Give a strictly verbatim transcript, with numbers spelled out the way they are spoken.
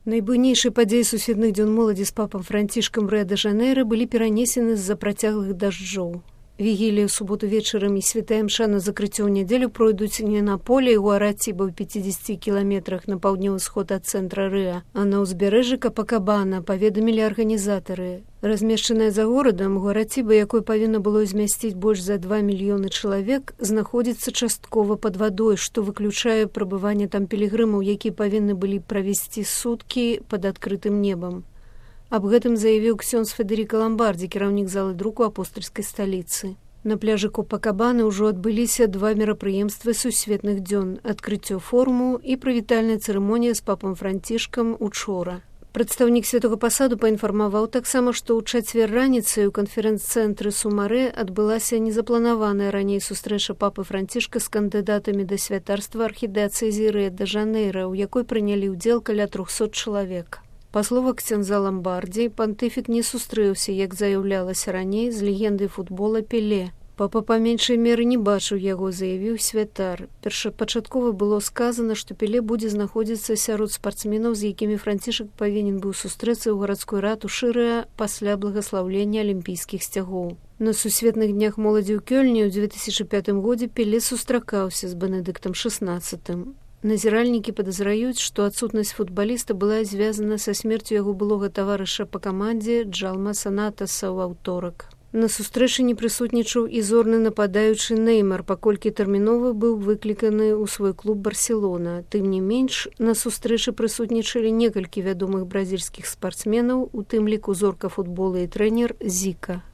Найбуйнейшыя падзеі сусветных дзён моладзі з папам Францішкам Рыа-дэ-Жанэйра былі перанесены з-за працяглых дажджоў. Вігілія ў суботу вечарам і святая мша на закрыццё ў нядзелю пройдуць не на поле ў Аратиба ў пяцідзесяці кіламетрах на паўднёвы сход ад цэнтра Рыа, а на ўзбярэжжы Капакабана, паведамілі арганізатары. Размешчаная за горадам, Аратиба, якой павінна было змясціць больш за два мільёны чалавек, знаходзіцца часткова пад вадой, што выключае прабыванне там пілігрымаў, якія павінны былі правесці суткі пад адкрытым небам. Аб гэтым заявіў ксёндз Федэріка Ламбардзі, кіраўнік залы друку апостальскай сталіцы. На пляжы Копакабаны ўжо адбыліся два мерапрыемствы сусветных дзён – адкрыццё форуму і прывітальная цырымонія з папам Францішкам учора. Прадстаўнік святога пасаду паінфармаваў таксама, што ў чацвер раніцай у канферэнц-цэнтры Сумарэ адбылася незапланаваная раней сустрэча папы Францішка з кандыдатамі да святарства архідыацэзіі Рыа-дэ-Жанэйра, у якой прынялі ўдзел каля трохсот чалавек. Па словах ксёндза Ламбардзі, пантыфік не сустрэўся, як заяўлялася раней, з легендай футбола Пеле. Папа па меншай меры не бачыў яго, заявіў святар. Першапачаткова было сказана, што Пеле будзе знаходзіцца сярод спартсменаў, з якімі Францішак павінен быў сустрэцца ў гарадской ратушы Рыа пасля благаслаўлення алімпійскіх сцягоў. На сусветных днях моладзі ў Кёльні ў дзве тысячы пятым годзе Пеле сустракаўся з Бенедыктам шаснаццатым. Назіральнікі падазраюць, што адсутнасць футбаліста была звязана са смерцю яго былога таварыша па камандзе Джалма Санатаса ў аўторак. На сустрэчы не прысутнічаў і зорны нападаючы Неймар, паколькі тэрмінова быў выкліканы ў свой клуб Барселона. Тым не менш, на сустрэчы прысутнічалі некалькі вядомых бразільскіх спартсменаў, у тым ліку зорка футбола і трэнер Зіка.